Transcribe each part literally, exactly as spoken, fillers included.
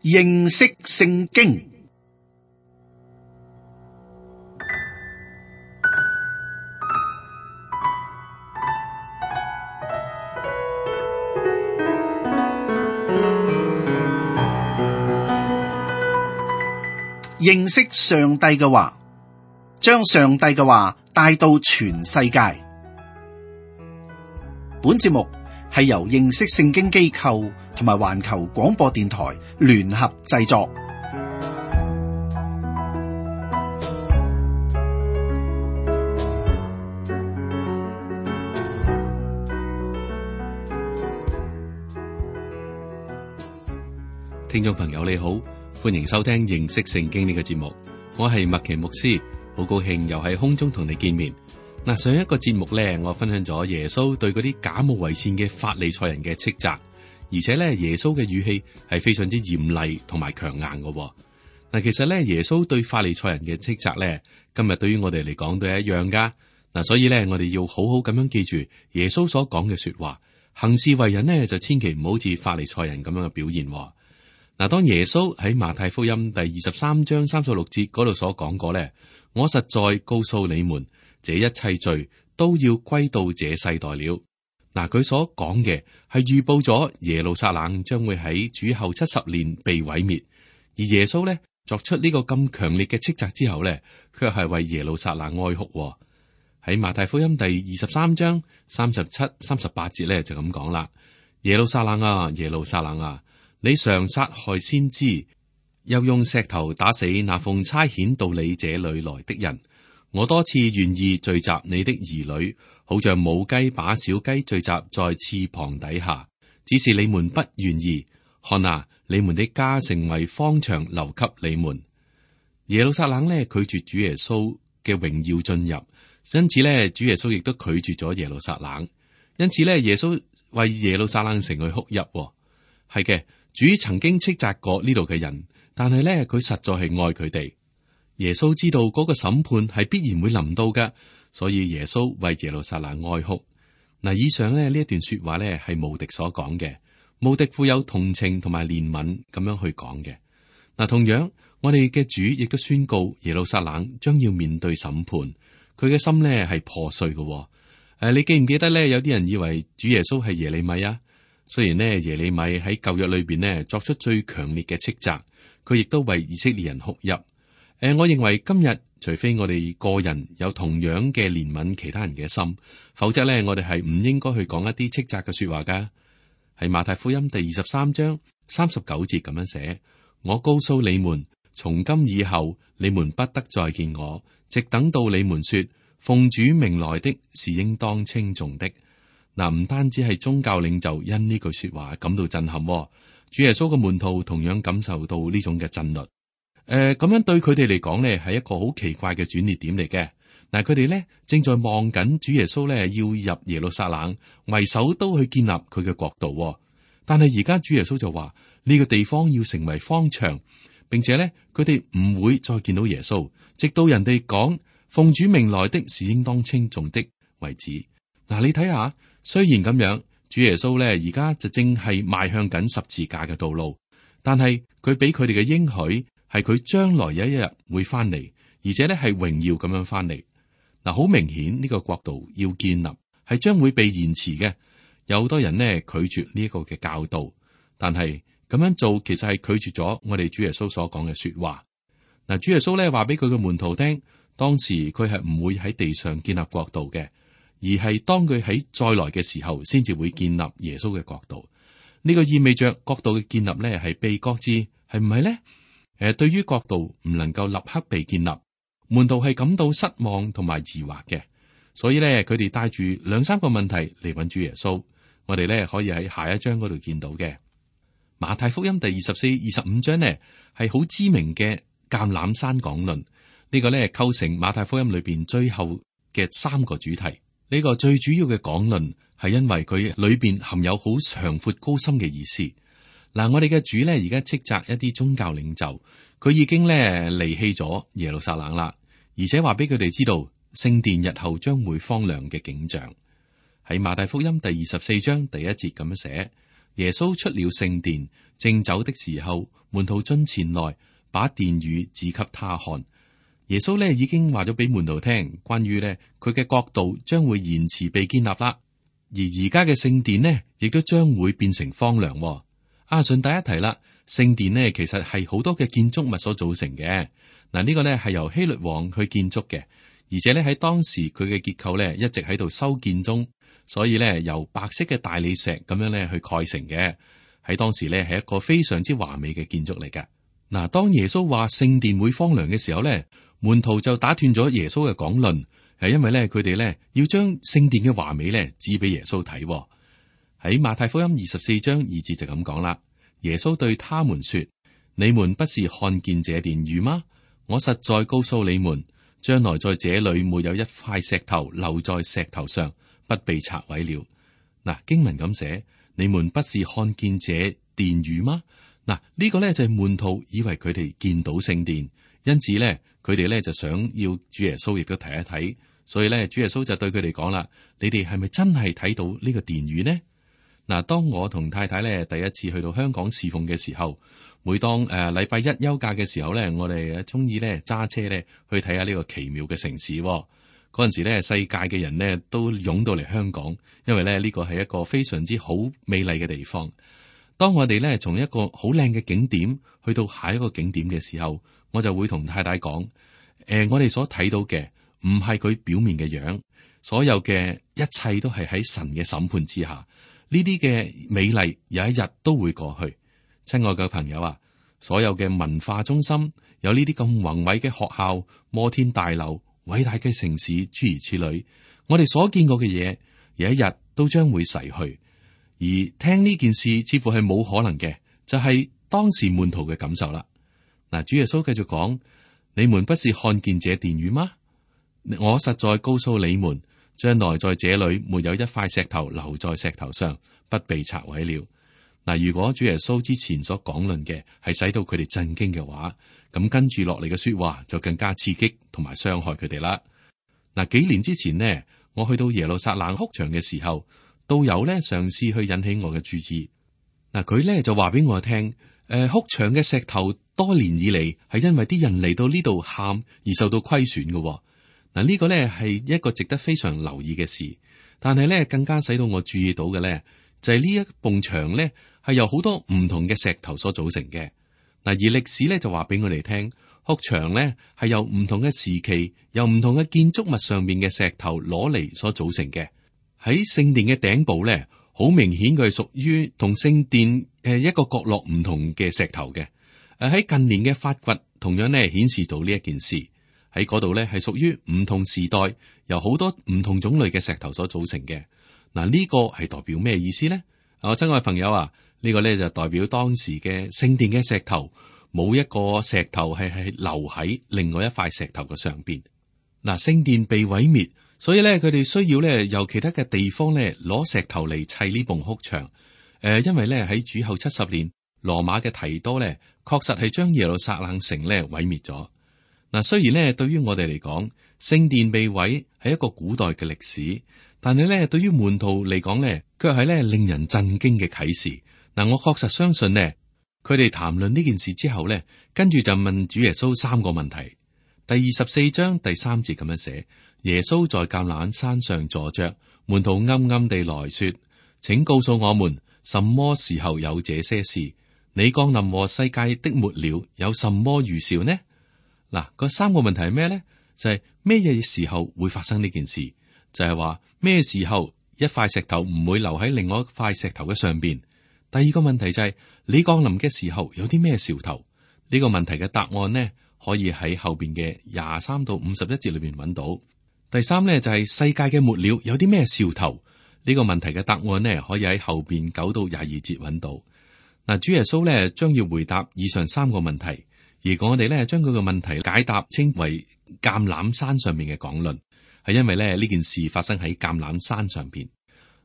認識聖經。認識上帝嘅話，將上帝嘅話帶到全世界。本節目係由認識聖經機構同埋環球廣播電台聯合製作。聽眾朋友你好，歡迎收聽認識聖經呢個節目，我係麥奇牧師，好高興又喺空中同你見面。嗱，上一個節目咧，我分享咗耶穌對嗰啲假冒為善嘅法利賽人嘅斥責，而且咧耶穌嘅語氣係非常之嚴厲同埋強硬嘅。嗱，其實咧耶穌對法利賽人嘅斥責咧，今日對於我哋嚟講都係一樣噶。嗱，所以咧我哋要好好咁樣記住耶穌所講嘅說話，行事為人呢，就千祈唔好似法利賽人咁樣嘅表現。嗱，當耶穌喺馬太福音第二十三章三十六節嗰度所講過咧，我實在告訴你們，這一切罪都要歸到這世代了。嗱，佢所講嘅係預報咗耶路撒冷將會喺主後七十年被毀滅，而耶穌咧作出呢個咁強烈嘅斥責之後咧，卻係為耶路撒冷哀哭。喺馬太福音第二十三章三十七、三十八節咧就咁講啦：耶路撒冷啊，耶路撒冷啊，你常殺害先知，又用石頭打死那奉差遣到你這裏來的人。我多次願意聚集你的兒女，好像母雞把小雞聚集在翅膀底下，只是你們不願意。看啊，你們的家成為荒場，留給你們。耶路撒冷呢，拒絕主耶穌嘅榮耀進入，因此呢，主耶穌亦都拒絕咗耶路撒冷。因此呢，耶穌為耶路撒冷城去哭泣。係嘅，主曾經斥責過呢度嘅人，但係呢，佢實在係愛佢哋。耶穌知道嗰個審判係必然會臨到嘅，所以耶穌為耶路撒冷哀哭。嗱，以上咧呢一段說話咧係無敵所講嘅，無敵富有同情同埋憐憫咁樣去講嘅。嗱，同樣我哋嘅主亦都宣告耶路撒冷將要面對審判，佢嘅心咧係破碎嘅。誒，你記唔記得咧？有啲人以為主耶穌係耶利米啊？雖然呢，耶利米喺舊約裏邊呢作出最強烈嘅斥責，佢亦都為以色列人哭泣。誒，我認為今日除非我哋個人有同樣嘅憐憫其他人嘅心，否則咧我哋係唔應該去講一啲斥責嘅說話噶。喺馬太福音第二十三章三十九節咁樣寫：我告訴你們，從今以後你們不得再見我，直等到你們說奉主名來的是應當稱頌的。嗱，唔單止係宗教領袖因呢句說話感到震撼，主耶穌嘅門徒同樣感受到呢種嘅震慄。誒，咁、呃、樣對佢哋嚟講呢係一個好奇怪嘅轉捩點嚟嘅。嗱，佢哋呢正在望緊主耶穌呢要入耶路撒冷為首都去建立佢嘅國度，但係而家主耶穌就話呢、這個地方要成為荒場，並且呢，佢哋唔會再見到耶穌，直到人哋講奉主名來的是應當稱頌的為止。嗱、呃，你睇下，雖然咁樣，主耶穌呢而家就正係邁向緊十字架嘅道路，但係佢俾佢哋嘅應許。係佢將來有一日會翻嚟，而且咧係榮耀咁樣翻嚟。嗱，好明顯呢個國度要建立係將會被延遲嘅。有好多人呢拒絕呢一個嘅教導，但係咁樣做其實係拒絕咗我哋主耶穌所講嘅說話。嗱，主耶穌咧話俾佢嘅門徒聽，當時佢係唔會喺地上建立國度嘅，而係當佢喺再來嘅時候，先至會建立耶穌嘅國度。呢個意味着國度嘅建立咧係被擱置，係唔係咧？誒，對於國度唔能夠立刻被建立，門徒係感到失望同埋疑惑嘅，所以咧佢哋帶住兩三個問題嚟揾主耶穌。我哋咧可以喺下一章嗰度見到嘅。馬太福音第二十四、二十五章呢係好知名嘅橄欖山講論，呢個咧構成馬太福音裏邊最後嘅三個主題。呢個最主要嘅講論係因為佢裏邊含有好長闊高深嘅意思。嗱，我哋嘅主咧而家斥責一啲宗教領袖，佢已經咧離棄咗耶路撒冷啦，而且話俾佢哋知道聖殿日後將會荒涼嘅景象。喺馬太福音第二十四章第一節咁樣寫：耶穌出了聖殿，正走的時候，門徒進前來，把殿宇指給他看。耶穌咧已經話咗俾門徒聽，關於咧佢嘅國度將會延遲被建立啦，而而家嘅聖殿呢，亦都將會變成荒涼。啊，順帶一提啦，聖殿呢其實係好多嘅建築物所組成嘅。嗱，呢個呢係由希律王去建築嘅，而且咧喺當時佢嘅結構咧一直喺度修建中，所以咧由白色嘅大理石咁樣咧去蓋成嘅。喺當時咧係一個非常之華美嘅建築嚟㗎。嗱，當耶穌話聖殿會荒涼嘅時候咧，門徒就打斷咗耶穌嘅講論，係因為咧佢哋咧要將聖殿嘅華美咧指俾耶穌睇。喺馬太福音二十四章二節就咁講啦。耶穌對他們說：你們不是看見這殿宇嗎？我實在告訴你們，將來在這裏沒有一塊石頭留在石頭上，不被拆毀了。嗱，經文咁寫，你們不是看見這殿宇嗎？嗱，呢個咧就係門徒以為佢哋見到聖殿，因此咧佢哋咧就想要主耶穌亦都睇一睇，所以咧主耶穌就對佢哋講啦：你哋係咪真係睇到呢個殿宇呢？嗱，當我同太太咧第一次去到香港侍奉嘅時候，每當誒禮拜一休假嘅時候咧，我哋中意咧揸車咧去睇下呢個奇妙嘅城市。嗰陣時咧，世界嘅人呢都湧到嚟香港，因為咧呢個係一個非常之好美麗嘅地方。當我哋咧從一個好靚嘅景點去到下一個景點嘅時候，我就會同太太講：誒、呃，我哋所睇到嘅唔係佢表面嘅樣，所有嘅一切都係喺神嘅審判之下。呢啲嘅美麗有一日都會過去。親愛嘅朋友啊，所有嘅文化中心有呢啲咁宏偉嘅學校、摩天大樓、偉大嘅城市，諸如此類，我哋所見過嘅嘢，有一日都將會逝去。而聽呢件事似乎係冇可能嘅，就係、是、當時門徒嘅感受啦。嗱，主耶穌繼續講：你們不是看見這殿宇嗎？我實在告訴你們，將來在這裏沒有一塊石頭留在石頭上，不被拆毀了。嗱，如果主耶穌之前所講論嘅係使到佢哋震驚嘅話，咁跟住落嚟嘅說話就更加刺激同埋傷害佢哋啦。嗱，幾年之前呢，我去到耶路撒冷哭牆嘅時候，導遊咧嘗試去引起我嘅注意。嗱，佢咧就話俾我聽，誒，哭牆嘅石頭多年以嚟係因為啲人嚟到呢度喊而受到虧損嘅。嗱，呢個咧係一個值得非常留意嘅事，但係咧更加使到我注意到嘅咧就係呢一埲牆咧係由好多唔同嘅石頭所組成嘅。嗱，而歷史咧就話俾我哋聽，哭牆咧係由唔同嘅時期，由唔同嘅建築物上面嘅石頭攞嚟所組成嘅。喺聖殿嘅頂部咧，好明顯佢係屬於同聖殿誒一個角落唔同嘅石頭嘅。誒喺近年嘅發掘，同樣咧顯示到呢一件事喺嗰度咧係屬於唔同時代，由好多唔同種類嘅石頭所組成嘅。嗱，呢個係代表咩意思咧？我親愛朋友啊，呢個咧就代表當時嘅聖殿嘅石頭冇一個石頭係係留喺另外一塊石頭嘅上邊。嗱，聖殿被毀滅。所以咧，佢哋需要咧由其他嘅地方咧攞石頭嚟砌呢埲哭牆。誒、呃，因為咧喺主後七十年，羅馬嘅提多咧確實係將耶路撒冷城咧毀滅咗。嗱，雖然咧對於我哋嚟講，聖殿被毀係一個古代嘅歷史，但係咧對於門徒嚟講咧，卻係咧令人震驚嘅啟示。嗱，我確實相信呢，佢哋談論呢件事之後咧，跟住就問主耶穌三個問題。第二十四章第三節咁樣寫。耶穌在橄欖山上坐着，門徒暗暗地來說：請告訴我們，什麼時候有這些事？你降臨和世界的末了有什麼預兆呢？嗱，嗰三個問題係咩呢？就係咩嘢時候會發生呢件事？就係話咩時候一塊石頭唔會留喺另外一塊石頭嘅上邊？第二個問題就係、是、你降臨嘅時候有啲咩兆頭？呢、這個問題嘅答案呢，可以喺後邊嘅廿三到五十一節裏邊揾到。第三咧就係、是、世界嘅末了有啲咩兆頭？呢、這個問題嘅答案呢，可以喺後邊九到廿二節揾到。嗱，主耶穌咧將要回答以上三個問題，而我哋咧將佢個問題解答稱為橄欖山上面嘅講論，係因為咧呢件事發生喺橄欖山上邊。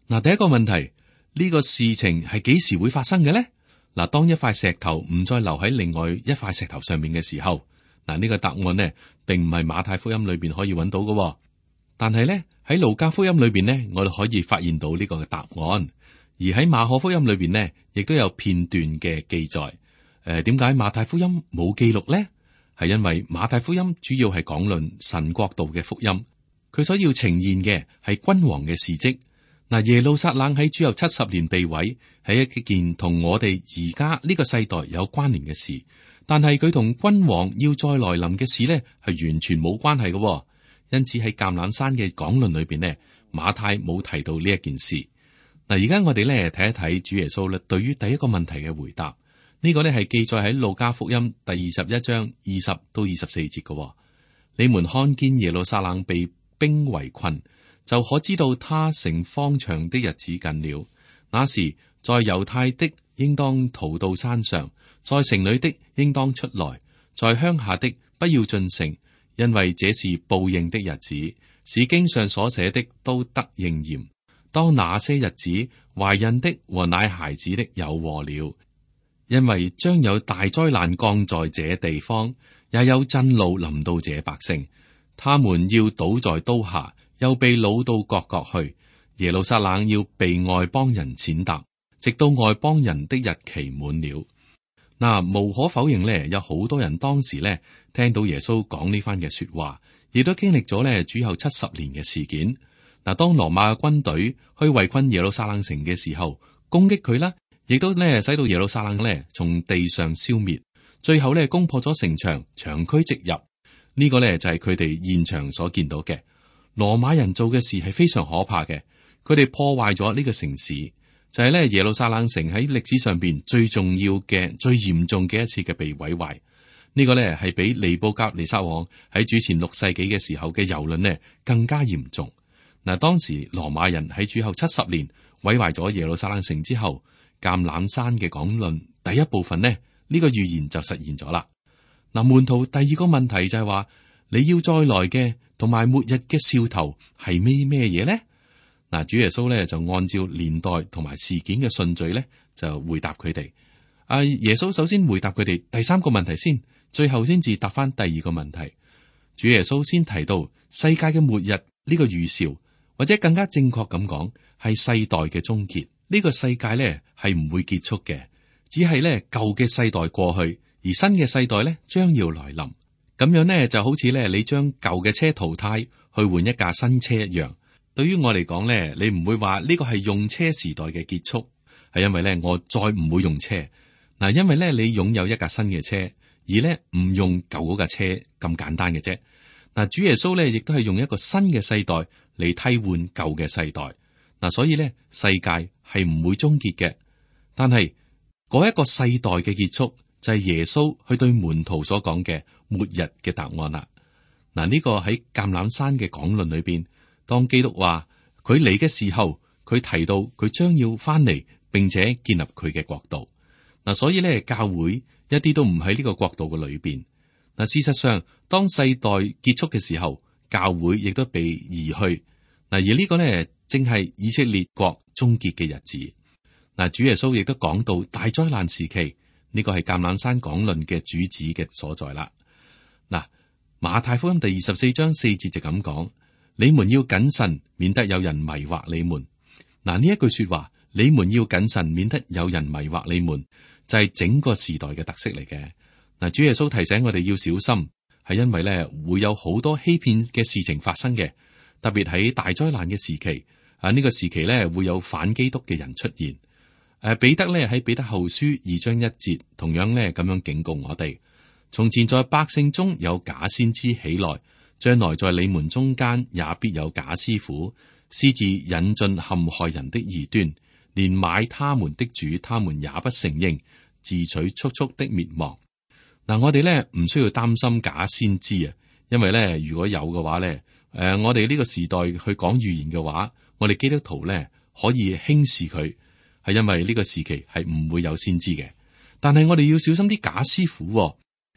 嗱，第一個問題，呢、這個事情係幾時會發生嘅咧？嗱，當一塊石頭唔再留喺另外一塊石頭上面嘅時候，嗱、這、呢個答案呢，並唔係馬太福音裏邊可以揾到嘅。但係咧喺路加福音裏邊呢，我哋可以發現到呢個嘅答案，而喺馬可福音裏邊呢，亦都有片段嘅記載。誒、誒，點解馬太福音冇記錄呢？係因為馬太福音主要係講論神國度嘅福音，佢所要呈現嘅係君王嘅事蹟。嗱，耶路撒冷喺主後七十年被毀，係一件同我哋而家呢個世代有關聯嘅事，但係佢同君王要再來臨嘅事呢，係完全冇關係嘅。因此喺橄欖山嘅講論裏邊呢，馬太冇提到呢一件事。嗱，而家我哋咧睇一睇主耶穌咧對於第一個問題嘅回答，呢、這個呢係記載喺路加福音第二十一章二十到二十四節嘅。你們看見耶路撒冷被兵圍困，就可知道他成荒場的日子近了。那時在猶太的應當逃到山上，在城裏的應當出來，在鄉下的不要進城，因為這是報應的日子，是經上所寫的都得應驗。當那些日子，懷孕的和奶孩子的有禍了，因為將有大災難降在這地方，也有震怒臨到這百姓，他們要倒在刀下，又被擄到各國去。耶路撒冷要被外邦人踐踏，直到外邦人的日期滿了。嗱，無可否認呢，有好多人當時呢聽到耶穌講呢番嘅說話，亦都經歷咗呢主後七十年嘅事件。嗱，當羅馬嘅軍隊去圍困耶路撒冷城嘅時候，攻擊佢啦，亦都呢使到耶路撒冷呢從地上消滅，最後呢攻破咗城牆，長驅直入。呢、這個呢就係佢哋現場所見到嘅。羅馬人做嘅事係非常可怕嘅，佢哋破壞咗呢個城市。就係咧，耶路撒冷城喺歷史上邊最重要嘅、最嚴重嘅一次嘅被毀壞。呢個咧係比尼布甲尼撒王喺主前六世紀嘅時候嘅蹂躪呢更加嚴重。嗱，當時羅馬人喺主後七十年毀壞咗耶路撒冷城之後，橄欖山嘅講論第一部分呢，呢個預言就實現咗啦。嗱，門徒第二個問題就係話，你要再來嘅同埋末日嘅兆頭係咩咩嘢呢？嗱，主耶穌咧就按照年代同埋事件嘅順序咧，就回答佢哋。啊，耶穌首先回答佢哋第三個問題先，最後先至答翻第二個問題。主耶穌先提到世界嘅末日呢個預兆，或者更加正確咁講，係世代嘅終結。呢個世界咧係唔會結束嘅，只係咧舊嘅世代過去，而新嘅世代咧將要來臨。咁樣咧就好似咧你將舊嘅車淘汰去換一架新車一樣。對於我嚟講咧，你唔會話呢個係用車時代嘅結束，係因為咧我再唔會用車嗱，因為咧你擁有一架新嘅車，而咧唔用舊嗰架車咁簡單嘅啫。嗱，主耶穌咧亦都係用一個新嘅世代嚟替換舊嘅世代嗱，所以咧世界係唔會終結嘅，但係嗰一個世代嘅結束就係耶穌去對門徒所講嘅末日嘅答案啦。嗱，呢個喺橄欖山嘅講論裏邊。當基督話佢嚟嘅時候，佢提到佢將要翻嚟，並且建立佢嘅國度。嗱，所以咧教會一啲都唔喺呢個國度嘅裏邊。嗱，事實上，當世代結束嘅時候，教會亦都被移去。嗱，而呢個呢，正係以色列國終結嘅日子。嗱，主耶穌亦都講到大災難時期，呢個係橄欖山講論嘅主旨嘅所在啦。嗱，馬太福音第二十四章四節就咁講。你們要謹慎，免得有人迷惑你們。嗱，呢一句說話，你們要謹慎，免得有人迷惑你們，就係整個時代嘅特色嚟嘅。嗱，主耶穌提醒我哋要小心，係因為咧會有好多欺騙嘅事情發生嘅，特別喺大災難嘅時期啊，呢個時期咧會有反基督嘅人出現。誒，彼得咧喺彼得後書二章一節，同樣咧咁樣警告我哋：從前在百姓中有假先知起來。將來在你們中間也必有假師傅，私自引進陷害人的異端，連買他們的主，他們也不承認，自取速速的滅亡。嗱，我哋咧唔需要擔心假先知啊，因為咧如果有嘅話咧，誒、呃，我哋呢個時代去講預言嘅話，我哋基督徒咧可以輕視佢，係因為呢個時期係唔會有先知嘅。但係我哋要小心啲假師傅，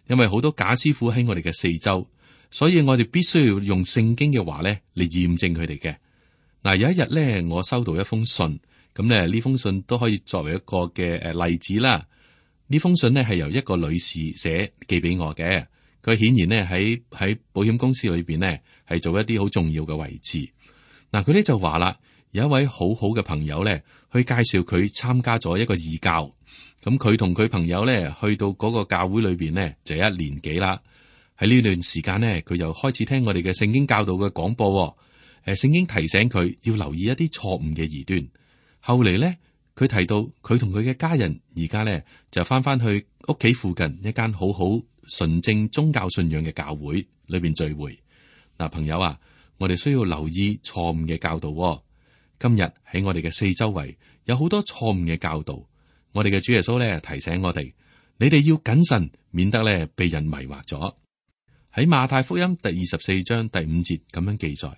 因為好多假師傅喺我哋嘅四周。所以我哋必須要用聖經嘅話咧嚟驗證佢哋嘅。嗱，有一日咧，我收到一封信，咁咧呢封信都可以作為一個嘅誒例子啦。呢封信咧係由一個女士寫寄俾我嘅，佢顯然咧喺喺保險公司裏邊咧係做一啲好重要嘅位置。嗱，佢咧就話啦，有一位好好嘅朋友咧，去介紹佢參加咗一個義教。咁佢同佢朋友咧去到嗰個教會裏邊呢，就一年幾啦。喺呢段時間呢，佢又開始聽我哋嘅聖經教導嘅廣播。誒，聖經提醒佢要留意一啲錯誤嘅異端。後嚟咧，佢提到佢同佢嘅家人而家咧就翻翻去屋企附近一間好好純正宗教信仰嘅教會裏邊聚會。嗱，朋友啊，我哋需要留意錯誤嘅教導。今日喺我哋嘅四周圍有好多錯誤嘅教導。我哋嘅主耶穌咧提醒我哋，你哋要謹慎，免得咧被人迷惑咗。喺馬太福音第二十四章第五節咁樣記載，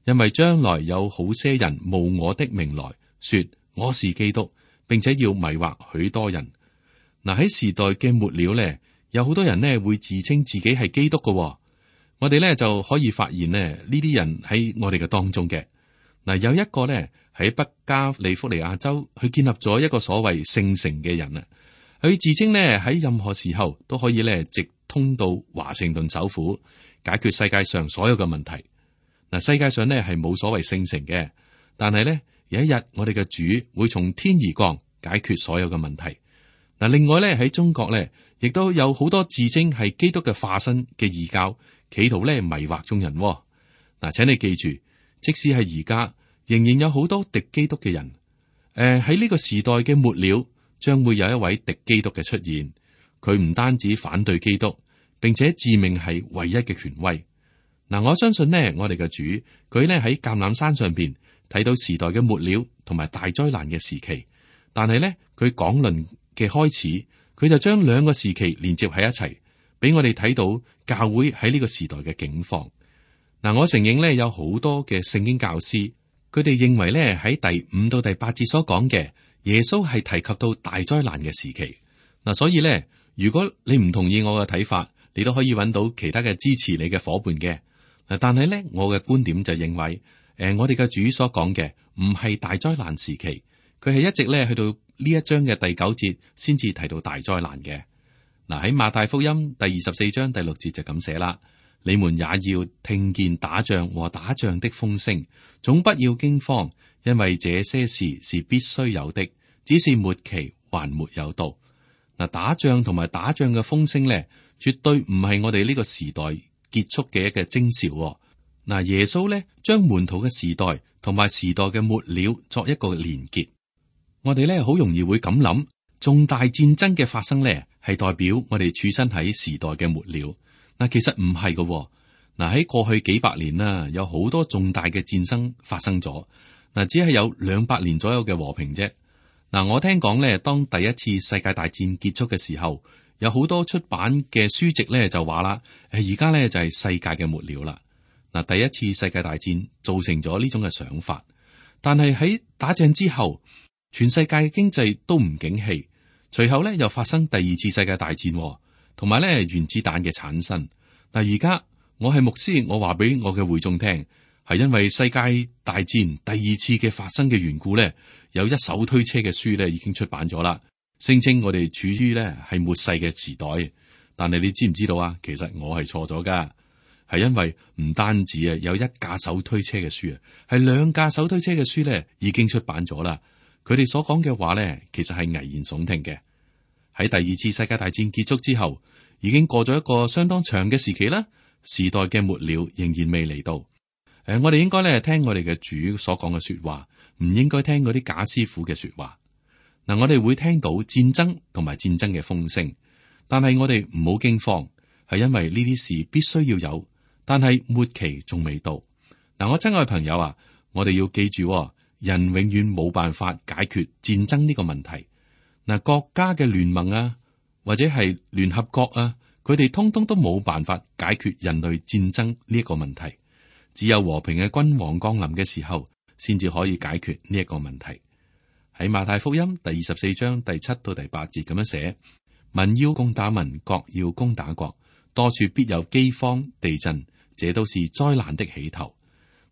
因為將來有好些人冒我的名來說我是基督，並且要迷惑許多人。嗱，喺時代嘅末了咧，有好多人呢會自稱自己係基督嘅。我哋咧就可以發現呢呢啲人喺我哋嘅當中嘅。嗱，有一個咧喺北加利福尼亞州，佢建立咗一個所謂聖城嘅人啊，佢自稱呢喺任何時候都可以咧直通到華盛頓首府，解決世界上所有嘅問題。嗱，世界上呢係冇所謂聖城嘅，但係咧有一日我哋嘅主會從天而降，解決所有嘅問題。嗱，另外咧喺中國咧，亦都有好多自稱係基督嘅化身嘅異教，企圖咧迷惑眾人。嗱，請你記住，即使係而家，仍然有好多敵基督嘅人。誒，喺呢個時代嘅末了，將會有一位敵基督嘅出現。佢唔單止反對基督，並且自命係唯一嘅權威。嗱，我相信呢，我哋嘅主，佢呢喺橄欖山上邊睇到時代嘅末了同埋大災難嘅時期，但係呢，佢講論嘅開始，佢就將兩個時期連接喺一齊，俾我哋睇到教會喺呢個時代嘅境況。嗱，我承認呢，有好多嘅聖經教師，佢哋認為呢，喺第五到第八節所講嘅耶穌係提及到大災難嘅時期。嗱，所以呢，如果你唔同意我嘅睇法，你都可以揾到其他嘅支持你嘅伙伴嘅。嗱，但係咧，我嘅觀點就認為，誒、呃，我哋嘅主所講嘅唔係大災難時期，佢係一直咧去到呢一章嘅第九節先至提到大災難嘅。嗱，喺馬太福音第二十四章第六節就咁寫啦：你們也要聽見打仗和打仗的風聲，總不要驚慌，因為這些事是必須有的，只是末期還沒有到。嗱，打仗同埋打仗嘅風聲咧，絕對唔係我哋呢個時代結束嘅一個徵兆。嗱，耶穌咧將門徒嘅時代同埋時代嘅末了作一個連結。我哋咧好容易會咁諗，重大戰爭嘅發生咧係代表我哋處身喺時代嘅末了。嗱，其實唔係㗎。嗱，喺過去幾百年啦，有好多重大嘅戰爭發生咗。嗱，只係有兩百年左右嘅和平啫。嗱，我聽講咧，當第一次世界大戰結束嘅時候，有好多出版嘅書籍咧就話啦，誒，而家咧就係世界嘅末了啦。嗱，第一次世界大戰造成咗呢種嘅想法，但係喺打仗之後，全世界嘅經濟都唔景氣，隨後咧又發生第二次世界大戰，同埋咧原子彈嘅產生。嗱，而家我係牧師，我話俾我嘅會眾聽，係因為世界大戰第二次嘅發生嘅緣故咧，有一手推車嘅書咧已經出版咗啦，聲稱我哋處於咧係末世嘅時代。但係你知唔知道啊？其實我係錯咗噶，係因為唔單止啊有一架手推車嘅書啊，係兩架手推車嘅書咧已經出版咗啦。佢哋所講嘅話咧，其實係危言聳聽嘅。喺第二次世界大戰結束之後，已經過咗一個相當長嘅時期啦，時代嘅末了仍然未嚟到。誒、呃，我哋應該咧聽我哋嘅主所講嘅說話，唔應該聽嗰啲假師傅嘅說話。嗱、呃，我哋會聽到戰爭同埋戰爭嘅風聲，但係我哋唔好驚慌，係因為呢啲事必須要有，但係末期仲未到。嗱、呃，我親愛朋友啊，我哋要記住、哦，人永遠冇辦法解決戰爭呢個問題。嗱、呃，國家嘅聯盟啊，或者係聯合國啊，佢哋通通都冇辦法解決人類戰爭呢一個問題。只有和平嘅君王降臨嘅時候，先至可以解決呢一個問題。喺馬太福音第二十四章第七到第八節咁樣寫：民要攻打民，國要攻打國，多處必有饑荒、地震，這都是災難的起頭。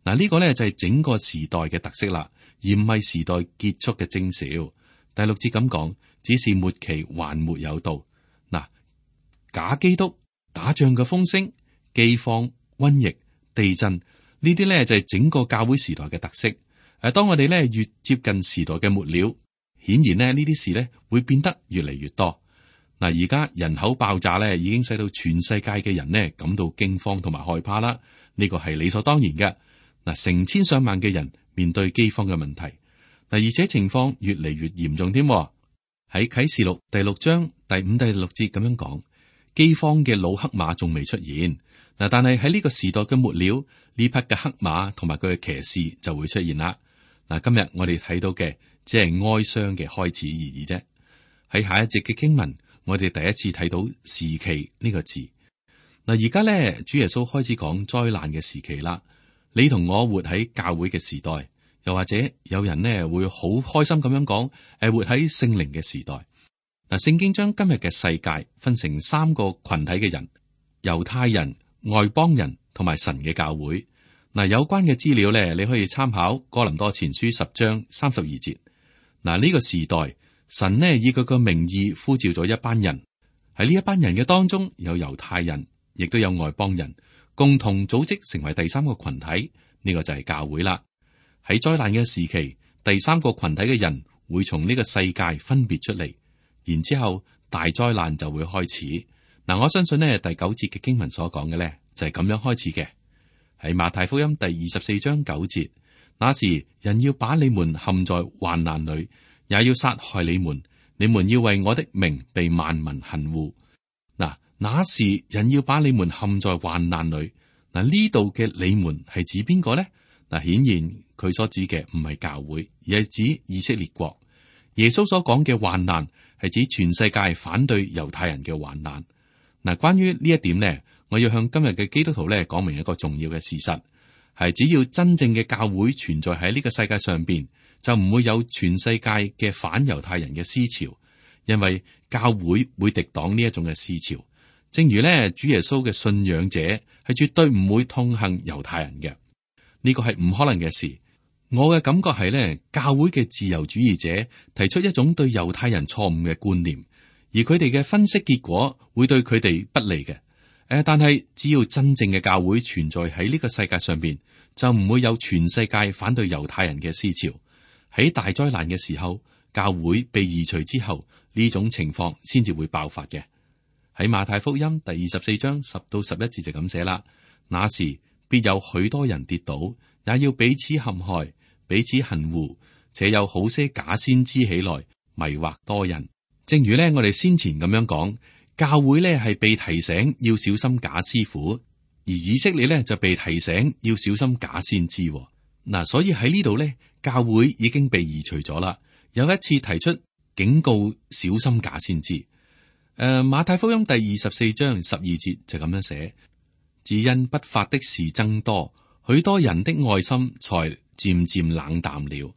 嗱，呢個呢就係整個時代嘅特色啦，而唔係時代結束嘅徵兆。第六節咁講，只是末期還沒有到。嗱，假基督、打仗嘅風聲、饑荒、瘟疫、地震。呢啲咧就係整個教會時代嘅特色，誒，誒，當我哋咧越接近時代嘅末了，顯然咧呢啲事咧會變得越嚟越多。嗱，而家人口爆炸咧，已經使到全世界嘅人呢感到驚慌同埋害怕啦。呢個係理所當然嘅。嗱，成千上萬嘅人面對饑荒嘅問題，嗱，而且情況越嚟越嚴重添。喺啟示錄第六章第五、第六節咁樣講，饑荒嘅老黑馬仲未出現。嗱，但係喺呢個時代嘅末了，呢匹嘅黑馬同埋佢嘅騎士就會出現啦。嗱，今日我哋睇到嘅只係哀傷嘅開始而已啫。喺下一節嘅經文，我哋第一次睇到時期呢個字。嗱，而家咧，主耶穌開始講災難嘅時期啦。你同我活喺教會嘅時代，又或者有人呢會好開心咁樣講，誒，活喺聖靈嘅時代。嗱，聖經將今日嘅世界分成三個群體嘅人：猶太人、外邦人同埋神嘅教會。嗱，有關嘅資料咧，你可以參考哥林多前書十章三十二節。嗱，呢個時代，神呢以佢個名義呼召咗一班人，喺呢一班人嘅當中有猶太人，亦都有外邦人，共同組織成為第三個群體。呢個就係教會啦。喺災難嘅時期，第三個群體嘅人會從呢個世界分別出嚟，然之後大災難就會開始。嗱，我相信呢第九節嘅經文所講嘅呢，就係咁樣開始嘅。喺馬太福音第二十四章九節，那時人要把你們陷在患難裏，也要殺害你們，你們要為我的名被萬民恨惡。嗱，那時人要把你們陷在患難裏。嗱，呢度嘅你們係指邊個呢？嗱，顯然佢所指嘅唔係教會，而係指以色列國。耶穌所講嘅患難係指全世界反對猶太人嘅患難。嗱，關於呢一點呢，我要向今日嘅基督徒咧講明一個重要嘅事實，係只要真正嘅教會存在喺呢個世界上邊，就唔會有全世界嘅反猶太人嘅思潮，因為教會會敵擋呢一種嘅思潮。正如咧，主耶穌嘅信仰者係絕對唔會痛恨猶太人嘅，呢個係唔可能嘅事。我嘅感覺係咧，教會嘅自由主義者提出一種對猶太人錯誤嘅觀念，而佢哋嘅分析結果會對佢哋不利嘅。誒，但係只要真正嘅教會存在喺呢個世界上邊，就唔會有全世界反對猶太人嘅思潮。喺大災難嘅時候，教會被移除之後，呢種情況先至會爆發嘅。喺馬太福音第二十四章十到十一節就咁寫啦。那時必有許多人跌倒，也要彼此陷害，彼此恨惡，且有好些假先知起來迷惑多人。正如咧，我哋先前咁樣講。教會咧係被提醒要小心假師傅，而以色列咧就被提醒要小心假先知。嗱，所以喺呢度咧，教會已經被移除咗啦。有一次提出警告，小心假先知。誒、呃，馬太福音第二十四章十二節就咁樣寫：只因不法的事增多，許多人的愛心才漸漸冷淡了。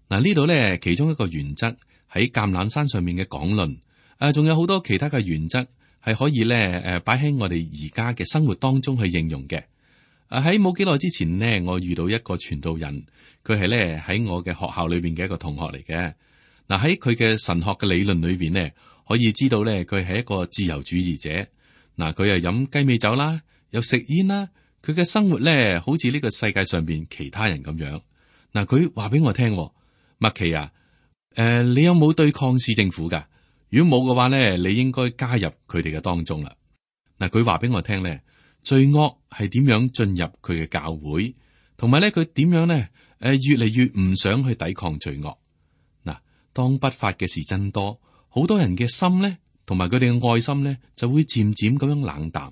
嗱，呢度咧其中一個原則喺橄欖山上面嘅講論。誒，仲有好多其他嘅原則係可以咧，誒，擺喺我哋而家嘅生活當中去應用嘅。誒，喺冇幾耐之前呢，我遇到一個傳道人，佢係咧喺我嘅學校裏邊嘅一個同學嚟嘅。嗱，喺佢嘅神學嘅理論裏邊呢，可以知道咧，佢係一個自由主義者。嗱，佢又飲雞尾酒啦，又食煙啦，佢嘅生活咧，好似呢個世界上邊其他人咁樣。嗱，佢話俾我聽，麥琪啊，誒、呃，你有冇對抗市政府噶？如果冇嘅話咧，你應該加入佢哋嘅當中啦。嗱，佢話俾我聽咧，罪惡係點樣進入佢嘅教會，同埋咧佢點樣咧，誒，越嚟越唔想去抵抗罪惡。嗱，當不法嘅事增多，好多人嘅心咧，同埋佢哋嘅愛心咧，就會漸漸咁樣冷淡。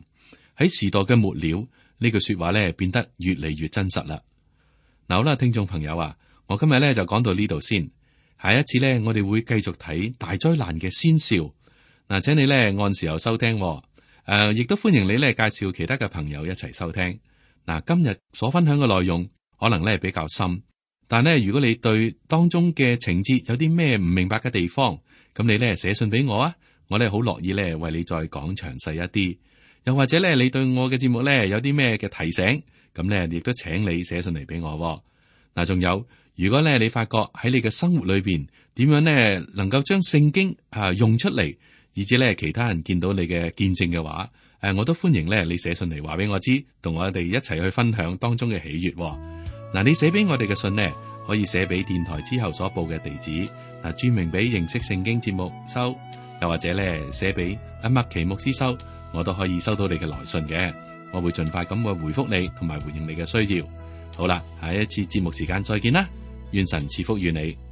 喺時代嘅末了，呢句說話咧變得越嚟越真實啦。嗱，好啦，聽眾朋友啊，我今日咧就講到呢度先。下一次咧，我哋會繼續睇大災難嘅先兆。嗱，請你咧按時候收聽，誒、呃，亦都歡迎你咧介紹其他嘅朋友一齊收聽。嗱，今日所分享嘅內容可能咧比較深，但係咧如果你對當中嘅情節有啲咩唔明白嘅地方，咁你咧寫信俾我啊，我咧好樂意咧為你再講詳細一啲。又或者咧你對我嘅節目咧有啲咩嘅提醒，咁咧亦都請你寫信嚟俾我。嗱，仲有。如果咧你發覺喺你嘅生活裏邊點樣咧能夠將聖經啊用出嚟，以至咧其他人見到你嘅見證嘅話，誒，我都歡迎咧你寫信嚟話俾我知，同我哋一齊去分享當中嘅喜悅。嗱，你寫俾我哋嘅信呢，可以寫俾電台之後所報嘅地址，嗱，注明俾認識聖經節目收，又或者咧寫俾阿麥奇牧師收，我都可以收到你嘅來信嘅，我會盡快咁去回覆你，同埋回應你嘅需要。好啦，下一次節目時間再見啦，願神賜福於你。